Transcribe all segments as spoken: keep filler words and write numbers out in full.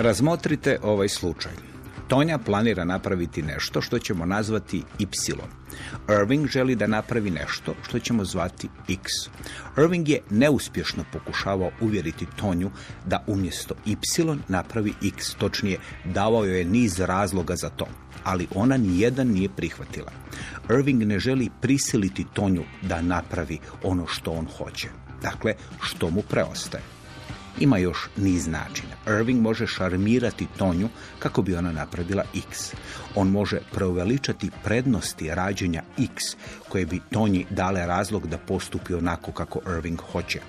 Razmotrite ovaj slučaj. Tonja planira napraviti nešto što ćemo nazvati Y. Irving želi da napravi nešto što ćemo zvati X. Irving je neuspješno pokušavao uvjeriti Tonju da umjesto Y napravi X. Točnije, davao joj je niz razloga za to, ali ona nijedan nije prihvatila. Irving ne želi prisiliti Tonju da napravi ono što on hoće. Dakle, što mu preostaje? Ima još niz načina. Irving može šarmirati Tonju kako bi ona napravila X. On može preuveličati prednosti rađenja X koje bi Tonji dale razlog da postupi onako kako Irving hoće.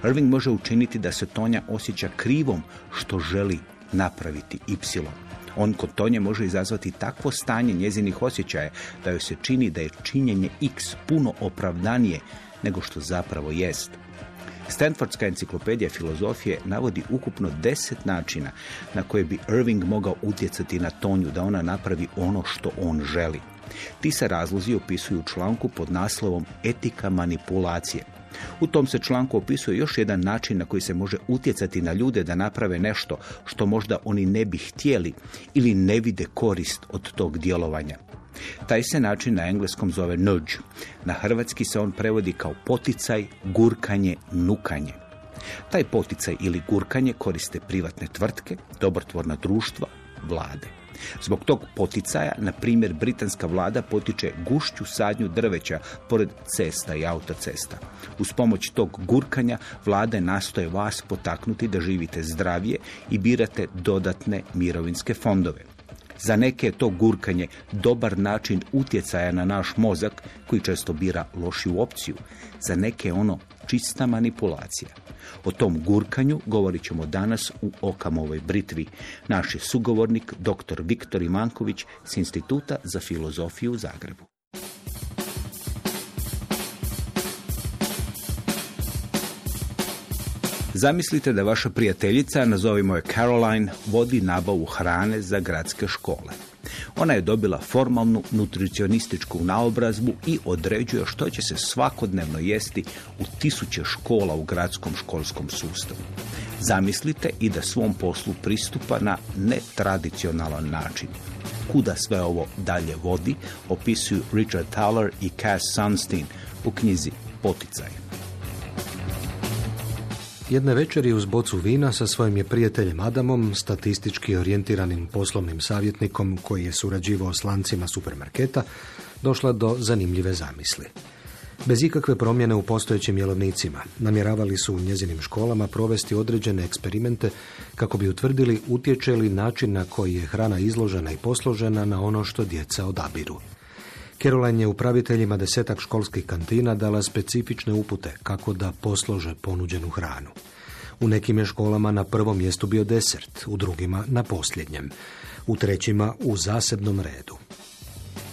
Irving može učiniti da se Tonja osjeća krivom što želi napraviti Y. On kod Tonje može izazvati takvo stanje njezinih osjećaja da joj se čini da je činjenje X puno opravdanije nego što zapravo jest. Stanfordska enciklopedija filozofije navodi ukupno deset načina na koje bi Irving mogao utjecati na Tonju da ona napravi ono što on želi. Ti se razlozi opisuju u članku pod naslovom Etika manipulacije. U tom se članku opisuje još jedan način na koji se može utjecati na ljude da naprave nešto što možda oni ne bi htjeli ili ne vide korist od tog djelovanja. Taj se način na engleskom zove nudge. Na hrvatski se on prevodi kao poticaj, gurkanje, nukanje. Taj poticaj ili gurkanje koriste privatne tvrtke, dobrotvorna društva, vlade. Zbog tog poticaja, na primjer, britanska vlada potiče gušću sadnju drveća pored cesta i autocesta. Uz pomoć tog gurkanja vlade nastoje vas potaknuti da živite zdravije i birate dodatne mirovinske fondove. Za neke je to gurkanje dobar način utjecaja na naš mozak koji često bira lošiju opciju. Za neke je ono čista manipulacija. O tom gurkanju govorit ćemo danas u Okamovoj britvi. Naš je sugovornik dr. Viktor Imanković s Instituta za filozofiju u Zagrebu. Zamislite da vaša prijateljica, nazovimo je Caroline, vodi nabavu hrane za gradske škole. Ona je dobila formalnu nutricionističku naobrazbu i određuje što će se svakodnevno jesti u tisuće škola u gradskom školskom sustavu. Zamislite i da svom poslu pristupa na netradicionalan način. Kuda sve ovo dalje vodi, opisuju Richard Thaler i Cass Sunstein u knjizi Poticaj. Jedne večeri uz bocu vina sa svojim je prijateljem Adamom, statistički orijentiranim poslovnim savjetnikom koji je surađivao s lancima supermarketa, došla do zanimljive zamisli. Bez ikakve promjene u postojećim jelovnicima, namjeravali su u njezinim školama provesti određene eksperimente kako bi utvrdili utječe li način na koji je hrana izložena i posložena na ono što djeca odabiru. Caroline je upraviteljima desetak školskih kantina dala specifične upute kako da poslože ponuđenu hranu. U nekim je školama na prvom mjestu bio desert, u drugima na posljednjem, u trećima u zasebnom redu.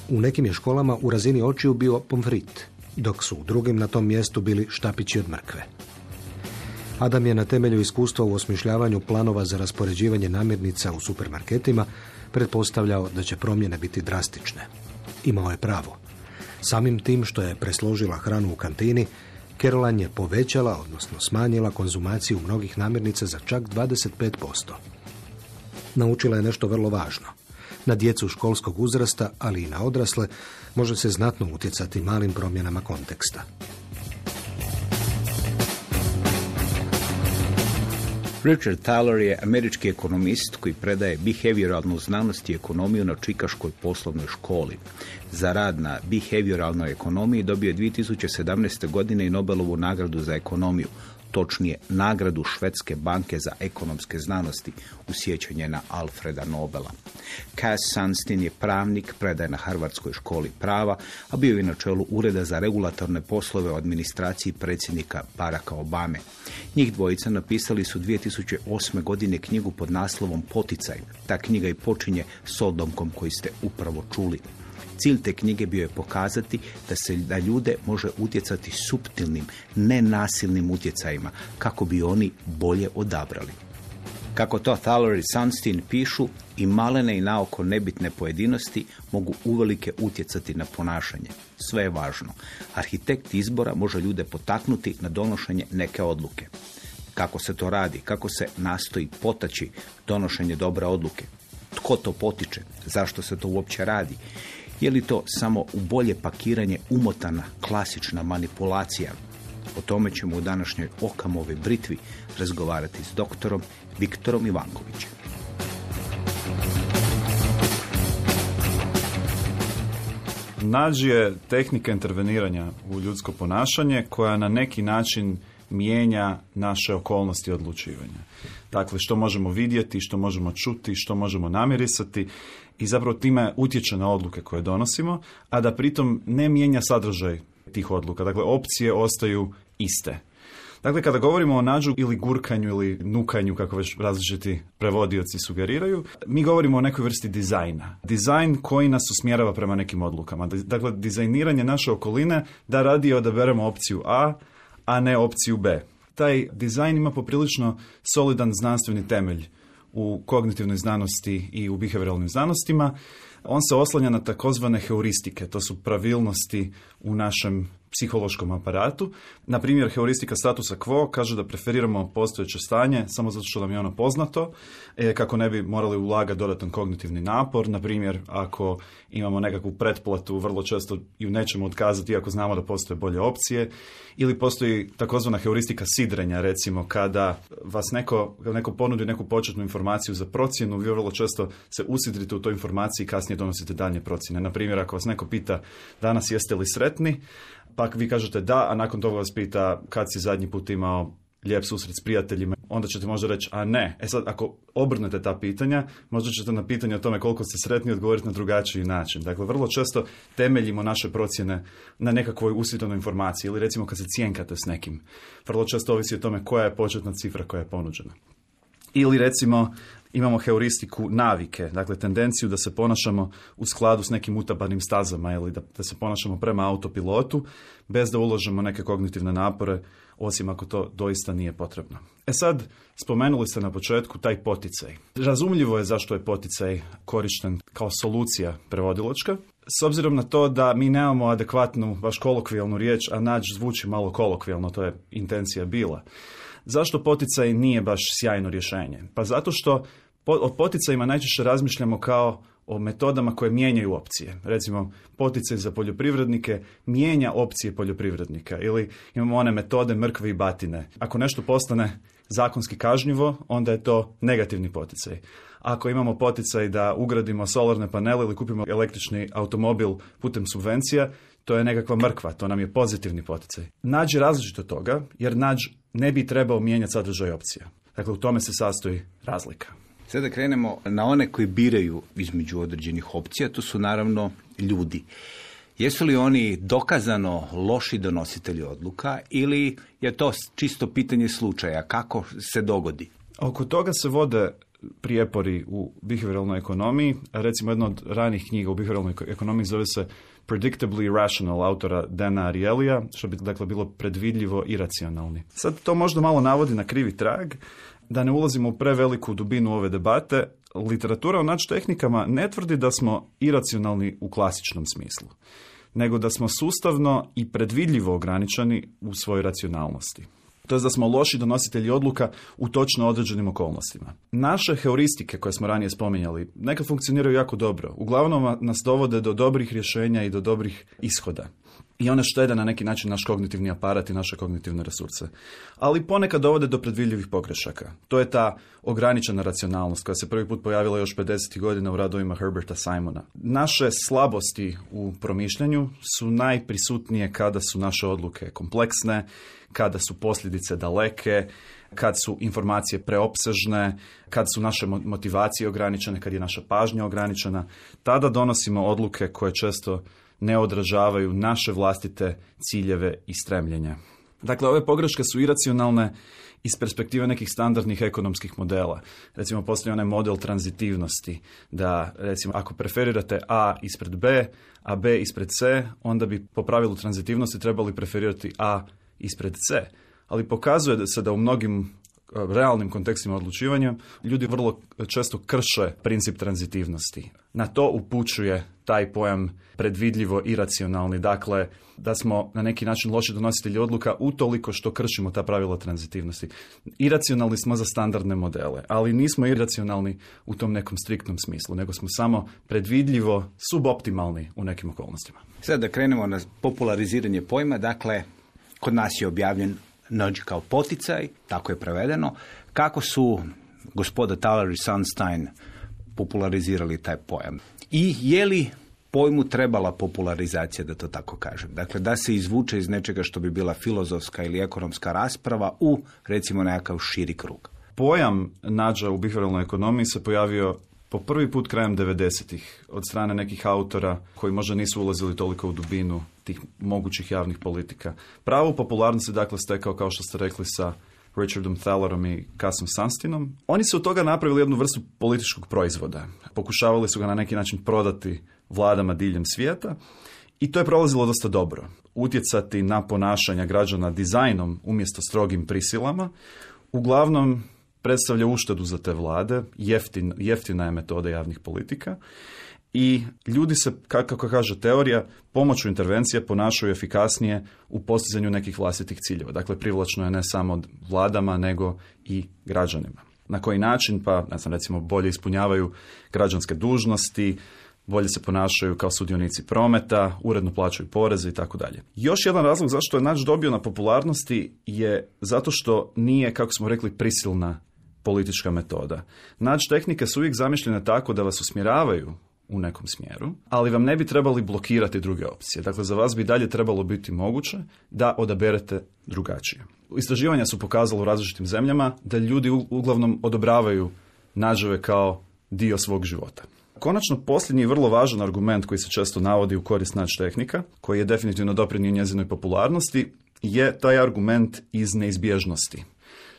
U nekim je školama u razini očiju bio pomfrit, dok su u drugim na tom mjestu bili štapići od mrkve. Adam je na temelju iskustva u osmišljavanju planova za raspoređivanje namirnica u supermarketima pretpostavljao da će promjene biti drastične. Imao je pravo. Samim tim što je presložila hranu u kantini, Caroline je povećala, odnosno smanjila konzumaciju mnogih namirnica za čak dvadeset pet posto. Naučila je nešto vrlo važno. Na djecu školskog uzrasta, ali i na odrasle, može se znatno utjecati malim promjenama konteksta. Richard Thaler je američki ekonomist koji predaje behavioralnu znanost i ekonomiju na Čikaškoj poslovnoj školi. Za rad na behavioralnoj ekonomiji dobio je dvije tisuće sedamnaeste. godine i Nobelovu nagradu za ekonomiju, točnije nagradu Švedske banke za ekonomske znanosti u sjećanje na Alfreda Nobela. Cass Sunstein je pravnik, predaje na Harvardskoj školi prava, a bio je na čelu Ureda za regulatorne poslove u administraciji predsjednika Baracka Obame. Njih dvojica napisali su dvije tisuće osme. godine knjigu pod naslovom Poticaj. Ta knjiga i počinje s odlomkom koji ste upravo čuli. Cilj te knjige bio je pokazati da se na ljude može utjecati suptilnim, nenasilnim utjecajima, kako bi oni bolje odabrali. Kako to Thaler i Sunstein pišu, i malene i naoko nebitne pojedinosti mogu uvelike utjecati na ponašanje. Sve je važno. Arhitekt izbora može ljude potaknuti na donošenje neke odluke. Kako se to radi? Kako se nastoji potaći donošenje dobre odluke? Tko to potiče? Zašto se to uopće radi? Je li to samo u bolje pakiranje umotana klasična manipulacija? O tome ćemo u današnjoj Okamovoj britvi razgovarati s doktorom Viktorom Ivankovićem. Nudge je tehnika interveniranja u ljudsko ponašanje koja na neki način mijenja naše okolnosti odlučivanja. Dakle, što možemo vidjeti, što možemo čuti, što možemo namirisati i zapravo time utječe na odluke koje donosimo, a da pritom ne mijenja sadržaj tih odluka. Dakle, opcije ostaju iste. Dakle, kada govorimo o nudgeu ili gurkanju ili nukanju, kako već različiti prevodioci sugeriraju, mi govorimo o nekoj vrsti dizajna. Dizajn koji nas usmjerava prema nekim odlukama. Dakle, dizajniranje naše okoline da radije odaberemo opciju A, a ne opciju B. Taj dizajn ima poprilično solidan znanstveni temelj u kognitivnoj znanosti i u behavioralnim znanostima. On se oslanja na takozvane heuristike, to su pravilnosti u našem psihološkom aparatu. Na primjer, heuristika statusa quo kaže da preferiramo postojeće stanje samo zato što nam je ono poznato, e, kako ne bi morali ulagati dodatan kognitivni napor. Na primjer, ako imamo nekakvu pretplatu, vrlo često ju nećemo otkazati iako znamo da postoje bolje opcije. Ili postoji takozvana heuristika sidrenja, recimo kada vas neko, neko ponudi neku početnu informaciju za procjenu, vi vrlo često se usidrite u toj informaciji i kasnije donosite daljnje procjene. Na primjer, ako vas neko pita danas jeste li sretni, pa vi kažete da, a nakon toga vas pita kad si zadnji put imao lijep susret s prijateljima, onda ćete možda reći, a ne. E sad, ako obrnete ta pitanja, možda ćete na pitanje o tome koliko ste sretni odgovoriti na drugačiji način. Dakle, vrlo često temeljimo naše procjene na nekakvoj usitnjenoj informaciji ili recimo kad se cjenkate s nekim. Vrlo često ovisi o tome koja je početna cifra koja je ponuđena. Ili recimo imamo heuristiku navike, dakle tendenciju da se ponašamo u skladu s nekim utabanim stazama ili da, da se ponašamo prema autopilotu bez da uložimo neke kognitivne napore, osim ako to doista nije potrebno. E sad, spomenuli ste na početku taj poticaj. Razumljivo je zašto je poticaj korišten kao solucija prevodilačka, s obzirom na to da mi nemamo adekvatnu, baš kolokvijalnu riječ, a nudge zvuči malo kolokvijalno, to je intencija bila. Zašto poticaj nije baš sjajno rješenje? Pa zato što po, o poticajima najčešće razmišljamo kao o metodama koje mijenjaju opcije. Recimo, poticaj za poljoprivrednike mijenja opcije poljoprivrednika ili imamo one metode mrkve i batine. Ako nešto postane zakonski kažnjivo, onda je to negativni poticaj. Ako imamo poticaj da ugradimo solarne panele ili kupimo električni automobil putem subvencija, to je nekakva mrkva, to nam je pozitivni poticaj. Nudge je različit od toga, jer nudge ne bi trebao mijenjati sadržaj opcija. Dakle, u tome se sastoji razlika. Sada krenemo na one koji biraju između određenih opcija, to su naravno ljudi. Jesu li oni dokazano loši donositelji odluka ili je to čisto pitanje slučaja? Kako se dogodi? Oko toga se vode prijepori u behavioralnoj ekonomiji. Recimo, jedna od ranih knjiga u behavioralnoj ekonomiji zove se Predictably Rational, autora Dana Arielyja, što bi dakle bilo predvidljivo i racionalni. Sad to možda malo navodi na krivi trag, da ne ulazimo u preveliku dubinu ove debate. Literatura o nudge tehnikama ne tvrdi da smo iracionalni u klasičnom smislu, nego da smo sustavno i predvidljivo ograničeni u svojoj racionalnosti. To je da smo loši donositelji odluka u točno određenim okolnostima. Naše heuristike koje smo ranije spominjali nekad funkcioniraju jako dobro. Uglavnom nas dovode do dobrih rješenja i do dobrih ishoda. I one štede na neki način naš kognitivni aparat i naše kognitivne resurse. Ali ponekad dovode do predvidljivih pogrešaka. To je ta ograničena racionalnost koja se prvi put pojavila još pedesetih godina u radovima Herberta Simona. Naše slabosti u promišljanju su najprisutnije kada su naše odluke kompleksne, kada su posljedice daleke, kad su informacije preopsežne, kad su naše motivacije ograničene, kad je naša pažnja ograničena. Tada donosimo odluke koje često ne odražavaju naše vlastite ciljeve i stremljenja. Dakle, ove pogreške su iracionalne iz perspektive nekih standardnih ekonomskih modela. Recimo, postoji onaj model tranzitivnosti, da recimo ako preferirate A ispred B, a B ispred C, onda bi po pravilu tranzitivnosti trebali preferirati A ispred C. Ali pokazuje se da u mnogim realnim kontekstima odlučivanja, ljudi vrlo često krše princip tranzitivnosti. Na to upućuje taj pojam predvidljivo iracionalni, dakle da smo na neki način loši donositelji odluka utoliko što kršimo ta pravila tranzitivnosti. Iracionalni smo za standardne modele, ali nismo iracionalni u tom nekom striktnom smislu, nego smo samo predvidljivo suboptimalni u nekim okolnostima. Sad da krenemo na populariziranje pojma, dakle, kod nas je objavljen nudge kao poticaj, tako je prevedeno. Kako su gospoda Thaler i Sunstein popularizirali taj pojam? I je li pojmu trebala popularizacija, da to tako kažem? Dakle, da se izvuče iz nečega što bi bila filozofska ili ekonomska rasprava u, recimo, nekakav širi krug. Pojam nudgea u behavioralnoj ekonomiji se pojavio po prvi put krajem devedesetih od strane nekih autora koji možda nisu ulazili toliko u dubinu tih mogućih javnih politika. Pravu popularnost je dakle stekao, kao što ste rekli, sa Richardom Thalerom i Casom Sunsteinom. Oni su od toga napravili jednu vrstu političkog proizvoda. Pokušavali su ga na neki način prodati vladama diljem svijeta i to je prolazilo dosta dobro. Utjecati na ponašanja građana dizajnom umjesto strogim prisilama uglavnom predstavlja uštedu za te vlade, jeftin, jeftina je metoda javnih politika i ljudi se, kako kaže teorija, pomoću intervencije ponašaju efikasnije u postizanju nekih vlastitih ciljeva. Dakle, privlačno je ne samo vladama, nego i građanima. Na koji način? Pa, ne znam, recimo, bolje ispunjavaju građanske dužnosti, bolje se ponašaju kao sudionici prometa, uredno plaćaju poreze i tako dalje. Još jedan razlog zašto je nudge dobio na popularnosti je zato što nije, kako smo rekli, prisilna politička metoda. Nudge tehnike su uvijek zamišljene tako da vas usmjeravaju u nekom smjeru, ali vam ne bi trebali blokirati druge opcije. Dakle, za vas bi dalje trebalo biti moguće da odaberete drugačije. Istraživanja su pokazala u različitim zemljama da ljudi uglavnom odobravaju nudževe kao dio svog života. Konačno, posljednji vrlo važan argument koji se često navodi u korist nudge tehnika, koji je definitivno doprinio njezinoj popularnosti, je taj argument iz neizbježnosti.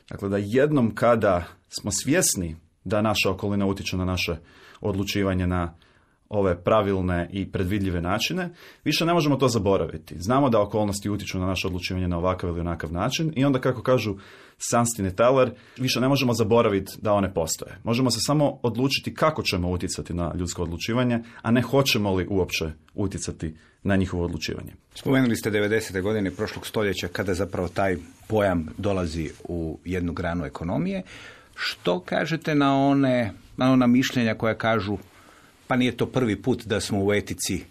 Dakle, da jednom kada smo svjesni da naša okolina utječe na naše odlučivanje na ove pravilne i predvidljive načine, više ne možemo to zaboraviti. Znamo da okolnosti utječu na naše odlučivanje na ovakav ili onakav način i onda, kako kažu Sunstein i Thaler, više ne možemo zaboraviti da one postoje. Možemo se samo odlučiti kako ćemo utjecati na ljudsko odlučivanje, a ne hoćemo li uopće utjecati na njihovo odlučivanje. Spomenuli ste devedesete godine prošlog stoljeća kada zapravo taj pojam dolazi u jednu granu ekonomije. Što kažete na one, na ona mišljenja koja kažu pa nije to prvi put da smo u etici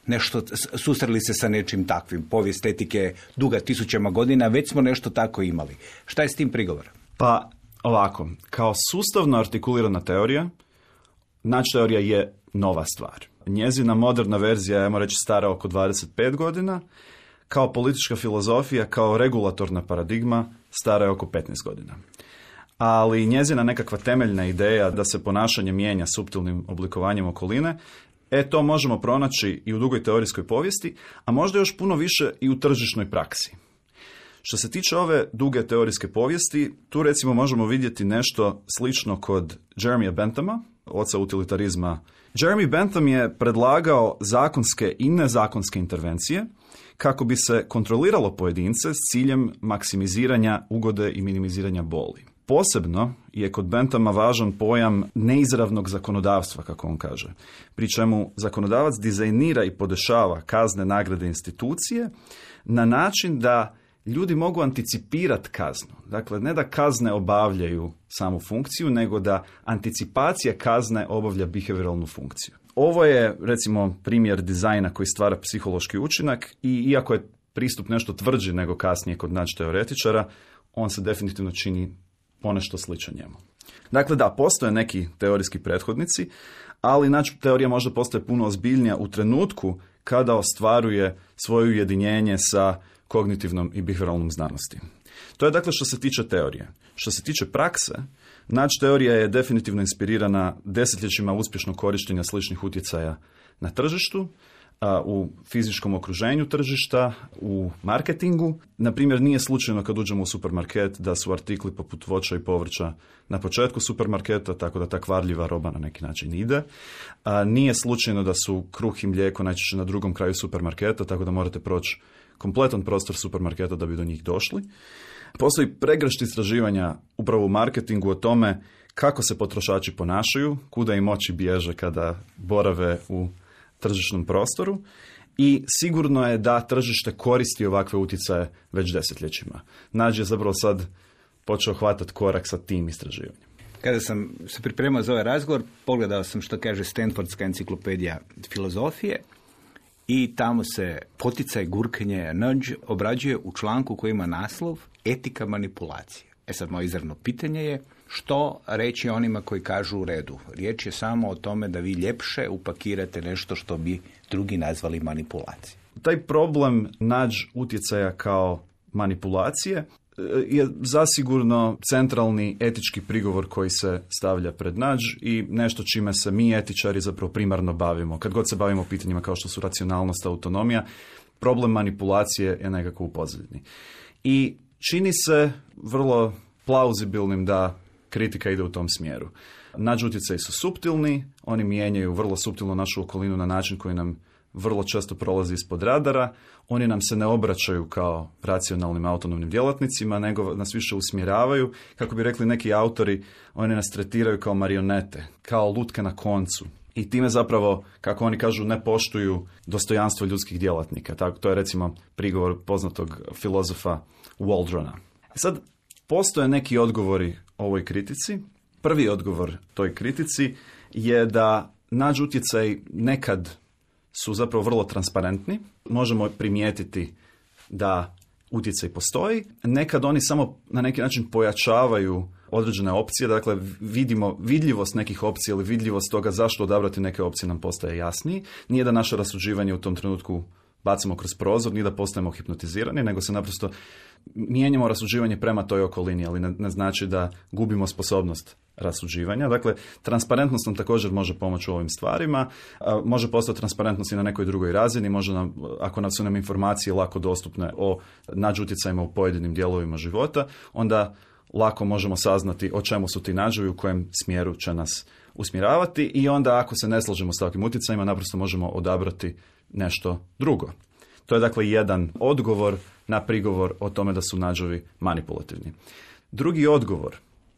nešto susreli se sa nečim takvim. Povijest etike duga tisućama godina, već smo nešto tako imali. Šta je s tim prigovor? Pa ovako, kao sustavno artikulirana teorija, nudge teorija je nova stvar. Njezina moderna verzija, ajmo reći, stara oko dvadeset pet godina, kao politička filozofija, kao regulatorna paradigma, stara je oko petnaest godina. Ali njezina nekakva temeljna ideja da se ponašanje mijenja suptilnim oblikovanjem okoline, e to možemo pronaći i u dugoj teorijskoj povijesti, a možda još puno više i u tržišnoj praksi. Što se tiče ove duge teorijske povijesti, tu recimo možemo vidjeti nešto slično kod Jeremija Benthama, oca utilitarizma. Jeremy Bentham je predlagao zakonske i nezakonske intervencije kako bi se kontroliralo pojedince s ciljem maksimiziranja ugode i minimiziranja boli. Posebno je kod Benthama važan pojam neizravnog zakonodavstva, kako on kaže, pri čemu zakonodavac dizajnira i podešava kazne, nagrade, institucije na način da ljudi mogu anticipirati kaznu. Dakle, ne da kazne obavljaju samu funkciju, nego da anticipacija kazne obavlja behavioralnu funkciju. Ovo je, recimo, primjer dizajna koji stvara psihološki učinak i iako je pristup nešto tvrđi nego kasnije kod nudge teoretičara, on se definitivno čini ponešto sličan njemu. Dakle, da, postoje neki teorijski prethodnici, ali nudge teorija možda postaje puno ozbiljnija u trenutku kada ostvaruje svoje ujedinjenje sa kognitivnom i behavioralnom znanosti. To je dakle što se tiče teorije. Što se tiče prakse, nudge teorija je definitivno inspirirana desetljećima uspješnog korištenja sličnih utjecaja na tržištu, a, u fizičkom okruženju tržišta, u marketingu. Na primjer, nije slučajno kad uđemo u supermarket da su artikli poput voća i povrća na početku supermarketa, tako da ta kvarljiva roba na neki način ide. A, nije slučajno da su kruh i mlijeko najčešće na drugom kraju supermarketa, tako da morate proći kompletan prostor supermarketa da bi do njih došli. Postoji pregršt istraživanja upravo u marketingu o tome kako se potrošači ponašaju, kuda im oči bježe kada borave u tržišnom prostoru i sigurno je da tržište koristi ovakve utjecaje već desetljećima. Nađ je zapravo sad počeo hvatati korak sa tim istraživanjem. Kada sam se pripremao za ovaj razgovor, pogledao sam što kaže Stanfordska enciklopedija filozofije i tamo se poticaj, gurkenje, nudge obrađuje u članku koji ima naslov Etika manipulacije. E sad, moje izravno pitanje je što reći onima koji kažu u redu. Riječ je samo o tome da vi ljepše upakirate nešto što bi drugi nazvali manipulacije. Taj problem nudge utjecaja kao manipulacije je zasigurno centralni etički prigovor koji se stavlja pred nudge i nešto čime se mi etičari zapravo primarno bavimo. Kad god se bavimo pitanjima kao što su racionalnost, autonomija, problem manipulacije je nekako u pozadini. I čini se vrlo plauzibilnim da kritika ide u tom smjeru. Nudge utjecaji su suptilni, oni mijenjaju vrlo suptilno našu okolinu na način koji nam vrlo često prolazi ispod radara, oni nam se ne obraćaju kao racionalnim autonomnim djelatnicima, nego nas više usmjeravaju. Kako bi rekli neki autori, oni nas tretiraju kao marionete, kao lutke na koncu. I time zapravo, kako oni kažu, ne poštuju dostojanstvo ljudskih djelatnika. Tako, to je recimo prigovor poznatog filozofa Waldrona. Sad, postoje neki odgovori ovoj kritici. Prvi odgovor toj kritici je da nudge utjecaj nekad su zapravo vrlo transparentni. Možemo primijetiti da utjecaj postoji. Nekad oni samo na neki način pojačavaju određene opcije. Dakle, vidimo vidljivost nekih opcija ili vidljivost toga zašto odabrati neke opcije nam postaje jasniji. Nije da naše rasuđivanje u tom trenutku bacimo kroz prozor, nije da postajemo hipnotizirani, nego se naprosto mijenjamo rasuđivanje prema toj okolini, ali ne, ne znači da gubimo sposobnost rasuđivanja. Dakle, transparentnost nam također može pomoći u ovim stvarima, a, može postati transparentnost i na nekoj drugoj razini, može nam, ako nam su nam informacije lako dostupne o nudge utjecajima u pojedinim dijelovima života, onda lako možemo saznati o čemu su ti nudgeovi, u kojem smjeru će nas usmjeravati i onda ako se ne slažemo s takvim utjecajima, naprosto možemo odabrati nešto drugo. To je dakle jedan odgovor na prigovor o tome da su nudgeovi manipulativni. Drugi odgovor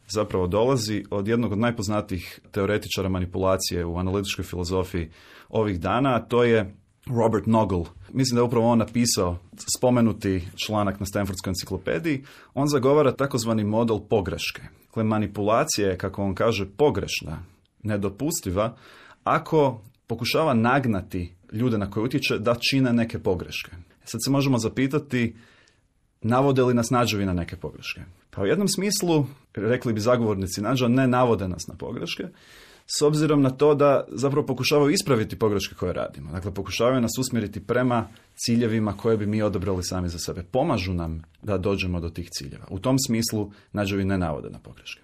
zapravo dolazi od jednog od najpoznatijih teoretičara manipulacije u analitičkoj filozofiji ovih dana, a to je Robert Noggle. Mislim da je upravo on napisao spomenuti članak na Stanfordskoj enciklopediji. On zagovara takozvani model pogreške. Dakle, manipulacija je, kako on kaže, pogrešna, nedopustiva, ako pokušava nagnati ljude na koje utječe da čine neke pogreške. Sad se možemo zapitati, navode li nas nudgeovi na neke pogreške? Pa u jednom smislu, rekli bi zagovornici nudgea, ne navode nas na pogreške, s obzirom na to da zapravo pokušavaju ispraviti pogreške koje radimo. Dakle, pokušavaju nas usmjeriti prema ciljevima koje bi mi odabrali sami za sebe. Pomažu nam da dođemo do tih ciljeva. U tom smislu nudgeovi ne navode na pogreške.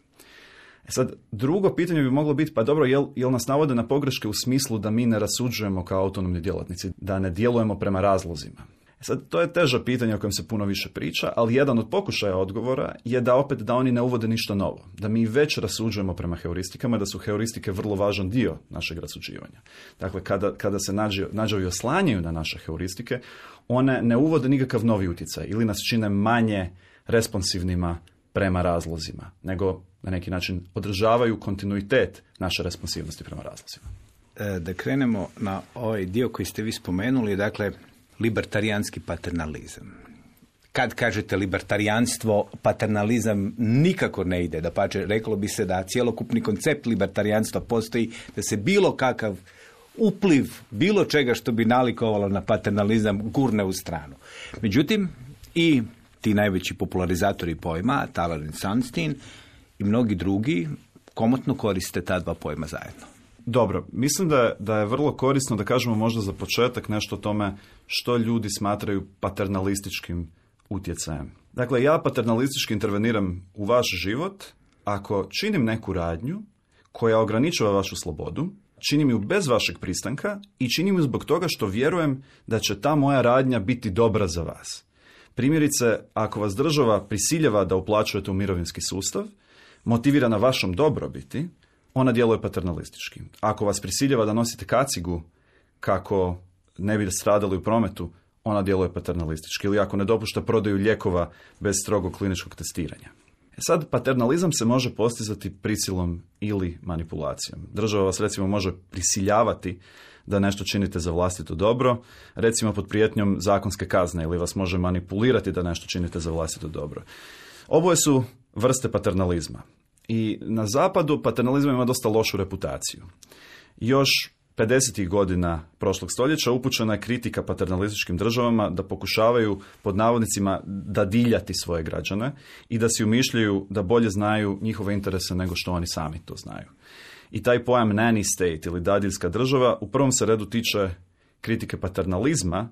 E sad, drugo pitanje bi moglo biti, pa dobro, jel, jel nas navode na pogreške u smislu da mi ne rasuđujemo kao autonomni djelatnici, da ne djelujemo prema razlozima? E sad, to je teže pitanje o kojem se puno više priča, ali jedan od pokušaja odgovora je da opet da oni ne uvode ništa novo. Da mi već rasuđujemo prema heuristikama, da su heuristike vrlo važan dio našeg rasuđivanja. Dakle, kada, kada se nudgeovi oslanjaju na naše heuristike, one ne uvode nikakav novi utjecaj ili nas čine manje responsivnima prema razlozima, nego na neki način održavaju kontinuitet naše responsivnosti prema razlozima. E, da krenemo na ovaj dio koji ste vi spomenuli, dakle, libertarijanski paternalizam. Kad kažete libertarijanstvo, paternalizam nikako ne ide. Dapače, reklo bi se da cjelokupni koncept libertarijanstva postoji, da se bilo kakav upliv, bilo čega što bi nalikovalo na paternalizam gurne u stranu. Međutim, i ti najveći popularizatori pojma, Thaler i Sunstein, i mnogi drugi komotno koriste ta dva pojma zajedno. Dobro, mislim da je, da je vrlo korisno da kažemo možda za početak nešto o tome što ljudi smatraju paternalističkim utjecajem. Dakle, ja paternalistički interveniram u vaš život ako činim neku radnju koja ograničava vašu slobodu činim ju bez vašeg pristanka i činim ju zbog toga što vjerujem da će ta moja radnja biti dobra za vas. Primjerice, ako vas država prisiljava da uplaćujete u mirovinski sustav, motivira na vašom dobrobiti, ona djeluje paternalistički. Ako vas prisiljava da nosite kacigu kako ne bi stradali u prometu, ona djeluje paternalistički. Ili ako ne dopušta prodaju lijekova bez strogog kliničkog testiranja. E sad, paternalizam se može postizati prisilom ili manipulacijom. Država vas recimo može prisiljavati da nešto činite za vlastito dobro, recimo pod prijetnjom zakonske kazne, ili vas može manipulirati da nešto činite za vlastito dobro. Oboje su vrste paternalizma. I na zapadu paternalizam ima dosta lošu reputaciju. Još pedesetih godina prošlog stoljeća upućena je kritika paternalističkim državama da pokušavaju pod navodnicima dadiljati svoje građane i da si umišljaju da bolje znaju njihove interese nego što oni sami to znaju. I taj pojam nanny state ili dadiljska država u prvom se redu tiče kritike paternalizma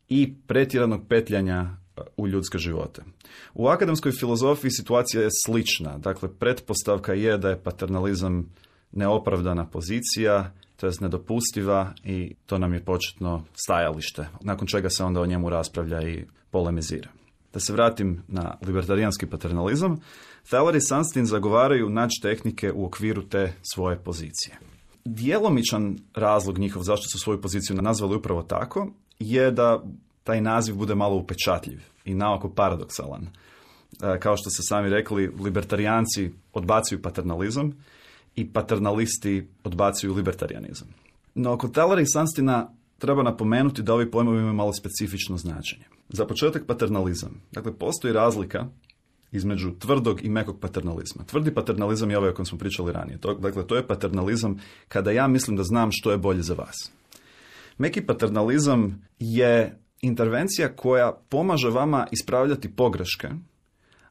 i pretjeranog petljanja u ljudske živote. U akademskoj filozofiji situacija je slična. Dakle, pretpostavka je da je paternalizam neopravdana pozicija, to jest nedopustiva i to nam je početno stajalište, nakon čega se onda o njemu raspravlja i polemizira. Da se vratim na libertarijanski paternalizam, Thaler i Sunstein zagovaraju naći tehnike u okviru te svoje pozicije. Djelomičan razlog njihov zašto su svoju poziciju nazvali upravo tako je da taj naziv bude malo upečatljiv i naoko paradoksalan. Kao što ste sami rekli, libertarijanci odbacuju paternalizam i paternalisti odbacuju libertarijanizam. No, kod Thalera i Sunsteina treba napomenuti da ovi pojmovi imaju malo specifično značenje. Za početak paternalizam. Dakle, postoji razlika između tvrdog i mekog paternalizma. Tvrdi paternalizam je ovaj o kojem smo pričali ranije. To, dakle, to je paternalizam kada ja mislim da znam što je bolje za vas. Meki paternalizam je intervencija koja pomaže vama ispravljati pogreške,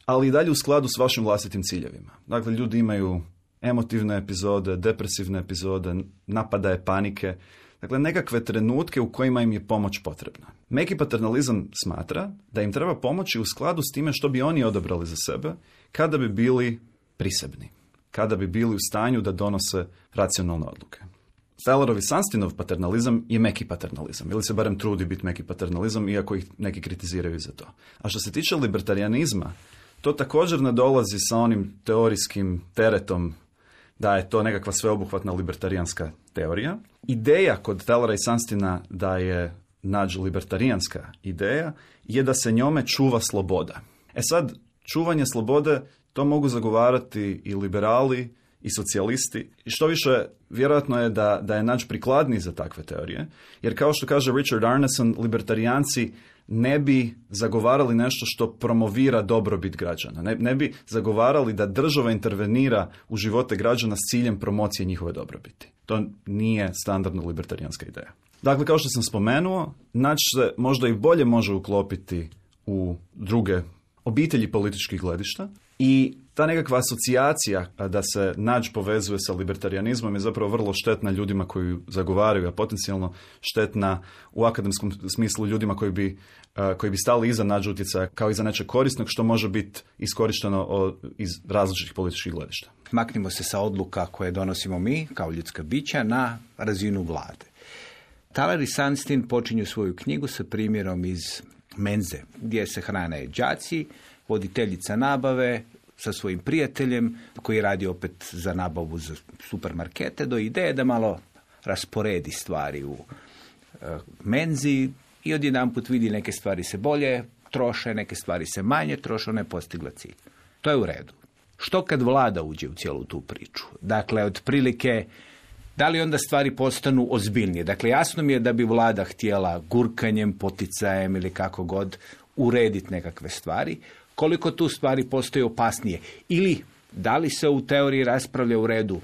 ali i dalje u skladu s vašim vlastitim ciljevima. Dakle, ljudi imaju emotivne epizode, depresivne epizode, napadaje panike, dakle nekakve trenutke u kojima im je pomoć potrebna. Meki paternalizam smatra da im treba pomoći u skladu s time što bi oni odabrali za sebe kada bi bili prisebni, kada bi bili u stanju da donose racionalne odluke. Thalerov i Sunsteinov paternalizam je meki paternalizam, ili se barem trudi biti meki paternalizam, iako ih neki kritiziraju za to. A što se tiče libertarijanizma, to također ne dolazi sa onim teorijskim teretom da je to nekakva sveobuhvatna libertarijanska teorija. Ideja kod Thalera i Sunsteina da je nađ libertarijanska ideja je da se njome čuva sloboda. E sad, čuvanje slobode to mogu zagovarati i liberali i socijalisti. I što više, vjerojatno je da, da je nađ prikladniji za takve teorije, jer kao što kaže Richard Arneson, libertarijanci ne bi zagovarali nešto što promovira dobrobit građana. Ne, ne bi zagovarali da država intervenira u živote građana s ciljem promocije njihove dobrobiti. To nije standardna libertarijanska ideja. Dakle, kao što sam spomenuo, naći se možda i bolje može uklopiti u druge obitelji političkih gledišta i ta nekakva asocijacija da se nađ povezuje sa libertarijanizmom je zapravo vrlo štetna ljudima koji zagovaraju, a potencijalno štetna u akademskom smislu ljudima koji bi, koji bi stali iza nađ utjecaja kao iza nečeg korisnog što može biti iskorišteno iz različitih političkih gledišta. Maknimo se sa odluka koje donosimo mi kao ljudska bića na razinu vlade. Thaler i Sunstein počinju svoju knjigu sa primjerom iz menze, gdje se hrane đaci, voditeljica nabave sa svojim prijateljem koji radi opet za nabavu za supermarkete, do ideje da malo rasporedi stvari u uh, menzi i odjedanput vidi neke stvari se bolje troše, neke stvari se manje troše, ona je postigla cilj. To je u redu. Što kad vlada uđe u cijelu tu priču? Dakle, otprilike, da li onda stvari postanu ozbiljnije? Dakle, jasno mi je da bi vlada htjela gurkanjem, poticajem ili kako god urediti nekakve stvari. Koliko tu stvari postoje opasnije? Ili da li se u teoriji raspravlja u redu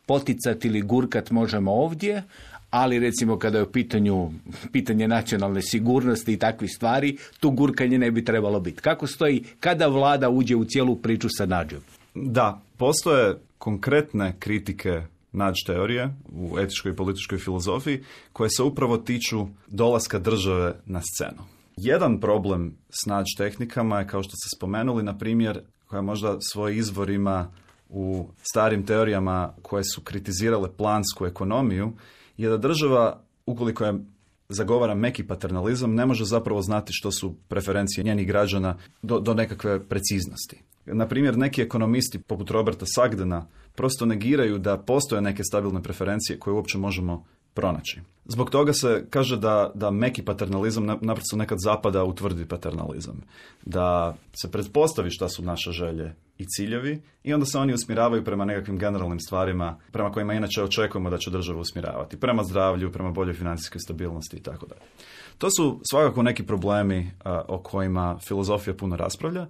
poticati ili gurkat možemo ovdje, ali recimo kada je u pitanju pitanje nacionalne sigurnosti i takvih stvari, tu gurkanje ne bi trebalo biti. Kako stoji kada vlada uđe u cijelu priču sa nađom? Da, postoje konkretne kritike nađ teorije u etičkoj i političkoj filozofiji koje se upravo tiču dolaska države na scenu. Jedan problem s nađ tehnikama je, kao što ste spomenuli, na primjer, koja možda svoj izvor ima u starim teorijama koje su kritizirale plansku ekonomiju je da država, ukoliko je zagovara meki paternalizam, ne može zapravo znati što su preferencije njenih građana do, do nekakve preciznosti. Na primjer, neki ekonomisti poput Roberta Sagdena prosto negiraju da postoje neke stabilne preferencije koje uopće možemo pronaći. Zbog toga se kaže da, da meki paternalizam naprosto nekad zapada u tvrdi paternalizam. Da se pretpostavi šta su naše želje i ciljevi i onda se oni usmjeravaju prema nekakvim generalnim stvarima prema kojima inače očekujemo da će država usmjeravati. Prema zdravlju, prema boljoj financijskoj stabilnosti i tako dalje. To su svakako neki problemi a, o kojima filozofija puno raspravlja,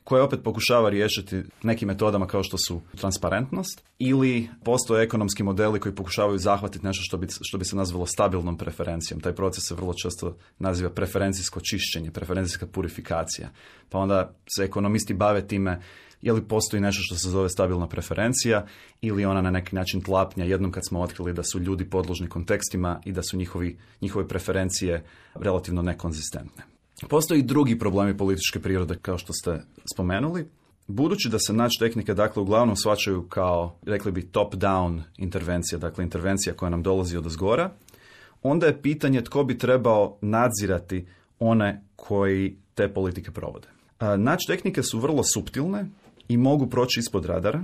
koje opet pokušava riješiti nekim metodama kao što su transparentnost ili postoje ekonomski modeli koji pokušavaju zahvatiti nešto što bi, što bi se nazvalo stabilnom preferencijom. Taj proces se vrlo često naziva preferencijsko čišćenje, preferencijska purifikacija. Pa onda se ekonomisti bave time je li postoji nešto što se zove stabilna preferencija ili ona na neki način tlapnja jednom kad smo otkrili da su ljudi podložni kontekstima i da su njihovi, njihove preferencije relativno nekonzistentne. Postoji i drugi problemi političke prirode, kao što ste spomenuli. Budući da se nač tehnike, dakle, uglavnom shvaćaju kao, rekli bi, top-down intervencija, dakle, intervencija koja nam dolazi od zgora, onda je pitanje tko bi trebao nadzirati one koji te politike provode. Nač tehnike su vrlo suptilne i mogu proći ispod radara.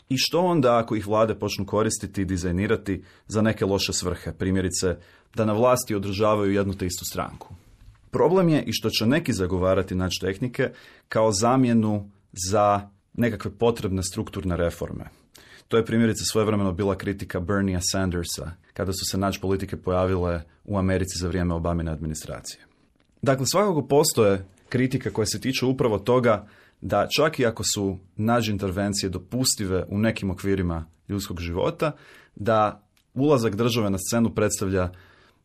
I što onda ako ih vlade počnu koristiti i dizajnirati za neke loše svrhe, primjerice da na vlasti održavaju jednu te istu stranku? Problem je i što će neki zagovarati nač tehnike kao zamjenu za nekakve potrebne strukturne reforme. To je primjerice svojevremeno bila kritika Berniea Sandersa kada su se nač politike pojavile u Americi za vrijeme Obamine administracije. Dakle, svakako postoje kritike koje se tiču upravo toga da čak i ako su nađ intervencije dopustive u nekim okvirima ljudskog života, da ulazak države na scenu predstavlja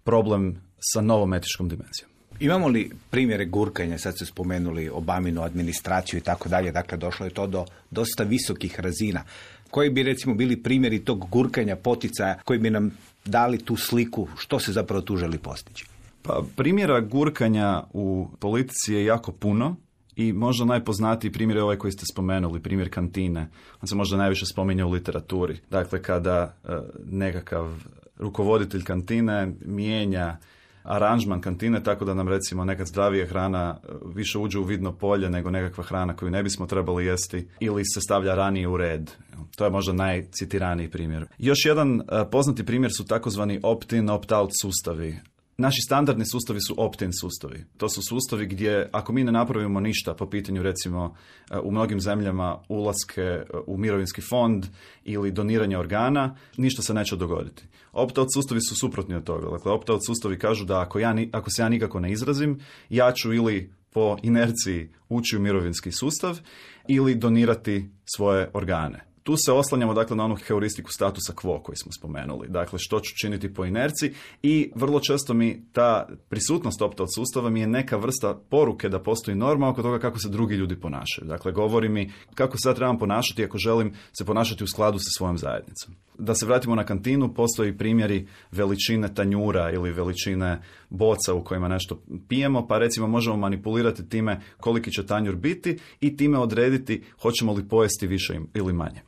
problem sa novom etičkom dimenzijom. Imamo li primjere gurkanja, sad ste spomenuli Obaminu administraciju i tako dalje, dakle došlo je to do dosta visokih razina. Koji bi recimo bili primjeri tog gurkanja, poticaja koji bi nam dali tu sliku što se zapravo tu želi postići? Pa primjera gurkanja u politici je jako puno i možda najpoznatiji primjer je ovaj koji ste spomenuli, primjer kantine. On se možda najviše spominje u literaturi. Dakle, kada e, nekakav rukovoditelj kantine mijenja aranžman kantine tako da nam recimo nekad zdravija hrana više uđe u vidno polje nego nekakva hrana koju ne bismo trebali jesti ili se stavlja ranije u red. To je možda najcitiraniji primjer. Još jedan uh, poznati primjer su takozvani opt-in, opt-out sustavi. Naši standardni sustavi su opt-in sustavi. To su sustavi gdje ako mi ne napravimo ništa po pitanju recimo u mnogim zemljama ulaske u mirovinski fond ili doniranje organa, ništa se neće dogoditi. Opt-out sustavi su suprotni od toga. Dakle, opt-out sustavi kažu da ako, ja, ako se ja nikako ne izrazim, ja ću ili po inerciji ući u mirovinski sustav ili donirati svoje organe. Tu se oslanjamo dakle na onu heuristiku statusa quo koji smo spomenuli. Dakle, što ću činiti po inerciji i vrlo često mi ta prisutnost opt-out sustava mi je neka vrsta poruke da postoji norma oko toga kako se drugi ljudi ponašaju. Dakle, govori mi kako se ja trebam ponašati ako želim se ponašati u skladu sa svojom zajednicom. Da se vratimo na kantinu, postoji primjeri veličine tanjura ili veličine boca u kojima nešto pijemo, pa recimo možemo manipulirati time koliki će tanjur biti i time odrediti hoćemo li pojesti više ili manje.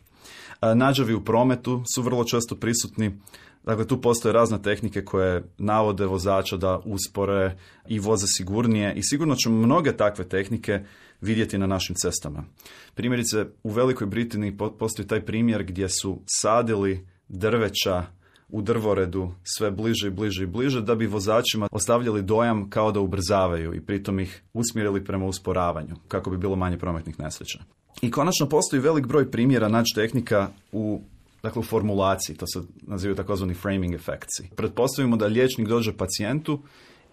Nađavi u prometu su vrlo često prisutni. Dakle, tu postoje razne tehnike koje navode vozača da uspore i voze sigurnije i sigurno ćemo mnoge takve tehnike vidjeti na našim cestama. Primjerice, u Velikoj Britaniji postoji taj primjer gdje su sadili drveća u drvoredu sve bliže i bliže i bliže da bi vozačima ostavljali dojam kao da ubrzavaju i pritom ih usmjerili prema usporavanju kako bi bilo manje prometnih nesreća. I konačno postoji velik broj primjera naći tehnika u, dakle, u formulaciji, to se nazivaju takozvani framing efektsi. Pretpostavimo da liječnik dođe pacijentu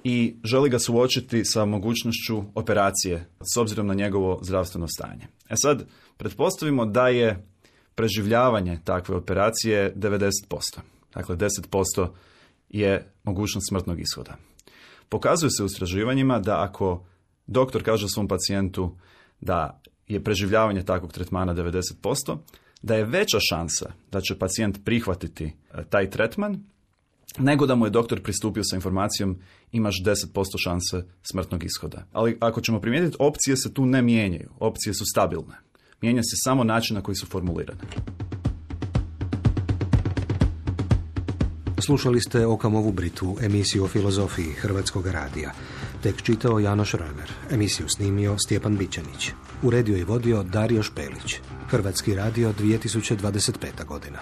i želi ga suočiti sa mogućnošću operacije s obzirom na njegovo zdravstveno stanje. E sad, pretpostavimo da je preživljavanje takve operacije devedeset posto. Dakle, deset posto je mogućnost smrtnog ishoda. Pokazuje se u istraživanjima da ako doktor kaže svom pacijentu da je preživljavanje takvog tretmana devedeset posto, da je veća šansa da će pacijent prihvatiti taj tretman, nego da mu je doktor pristupio sa informacijom imaš deset posto šanse smrtnog ishoda. Ali ako ćemo primijetiti, opcije se tu ne mijenjaju, opcije su stabilne. Mijenja se samo način na koji su formulirane. Slušali ste Okamovu Britvu, emisiju o filozofiji Hrvatskog radija. Tek čitao Janoš Römer, emisiju snimio Stjepan Bićanić. Uredio i vodio Dario Špelić. Hrvatski radio dvije tisuće dvadeset peta godina.